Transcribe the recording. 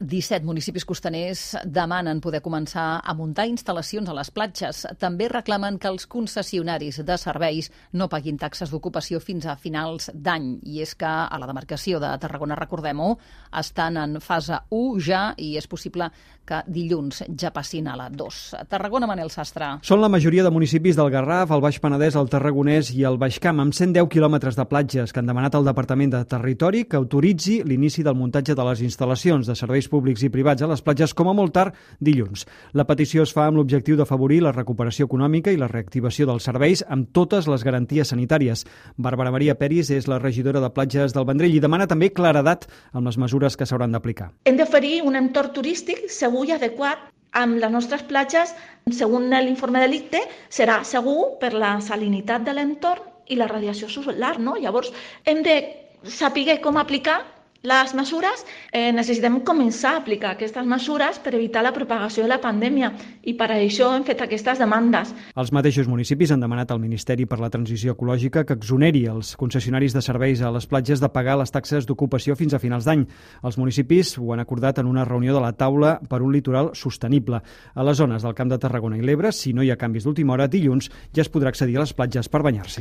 17 municipis costaners demanen poder començar a muntar instal·lacions a les platges. També reclamen que els concessionaris de serveis no paguin taxes d'ocupació fins a finals d'any. I és que a la demarcació de Tarragona, recordem-ho, estan en fase 1 ja i és possible que dilluns ja passin a la 2. Tarragona, Manel Sastre. Són la majoria de municipis del Garraf, el Baix Penedès, el Tarragonès i el Baix Camp, amb 110 quilòmetres de platges que han demanat al Departament de Territori que autoritzi l'inici del muntatge de les instal·lacions de serveis públics i privats a les platges com a molt tard dilluns. La petició es fa amb l'objectiu d'afavorir la recuperació econòmica i la reactivació dels serveis amb totes les garanties sanitàries. Bàrbara Maria Peris és la regidora de platges del Vendrell i demana també claredat amb les mesures que s'hauran d'aplicar. Hem d'oferir un entorn turístic segur i adequat amb les nostres platges. Segons l'informe de l'ICTE, serà segur per la salinitat de l'entorn i la radiació solar, no? Llavors, hem de saber com aplicar les mesures. Necessitem començar a aplicar aquestes mesures per evitar la propagació de la pandèmia i per això hem fet aquestes demandes. Els mateixos municipis han demanat al Ministeri per la Transició Ecològica que exoneri els concessionaris de serveis a les platges de pagar les taxes d'ocupació fins a finals d'any. Els municipis ho han acordat en una reunió de la taula per un litoral sostenible. A les zones del Camp de Tarragona i l'Ebre, si no hi ha canvis d'última hora, dilluns ja es podrà accedir a les platges per banyar-s'hi.